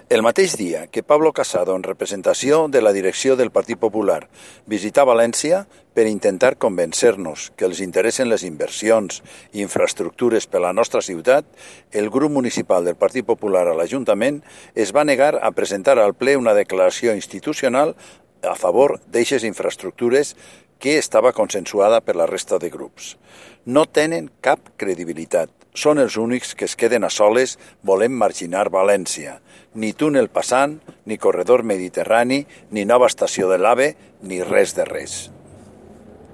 El mateix dia que Pablo Casado, en representació de la direcció del Partit Popular, visità València per intentar convencer-nos que els interessen les inversions i infraestructures per a la nostra ciutat, el grup municipal del Partit Popular a l'Ajuntament es va negar a presentar al ple una declaració institucional a favor d'eixes infraestructures que estava consensuada per la resta de grups. No tenen cap credibilitat. Són els únics que es queden a soles volent marginar València. Ni túnel passant, ni corredor mediterrani, ni nova estació de l'AVE, ni res de res.